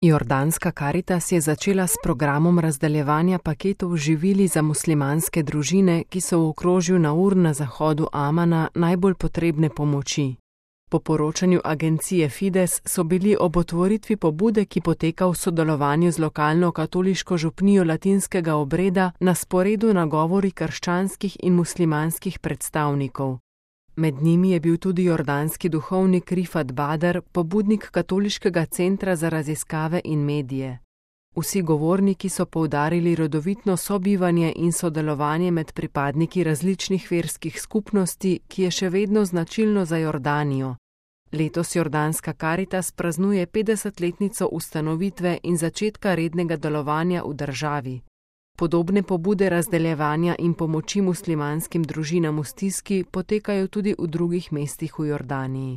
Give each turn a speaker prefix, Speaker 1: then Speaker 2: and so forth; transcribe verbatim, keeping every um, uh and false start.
Speaker 1: Jordanska Karitas je začela s programom razdeljevanja paketov živili za muslimanske družine, ki so v okrožju Naur na zahodu Amana najbolj potrebne pomoči. Po poročanju agencije Fides so bili ob otvoritvi pobude, ki poteka v sodelovanju z lokalno katoliško župnijo latinskega obreda, na sporedu nagovori krščanskih in muslimanskih predstavnikov. Med njimi je bil tudi jordanski duhovnik Rifat Badr, pobudnik Katoliškega centra za raziskave in medije. Vsi govorniki so poudarili rodovitno sobivanje in sodelovanje med pripadniki različnih verskih skupnosti, ki je še vedno značilno za Jordanijo. Letos Jordanska Karitas praznuje petdesetletnico ustanovitve in začetka rednega delovanja v državi. Podobne pobude razdeljevanja in pomoči muslimanskim družinam v stiski potekajo tudi v drugih mestih v Jordaniji.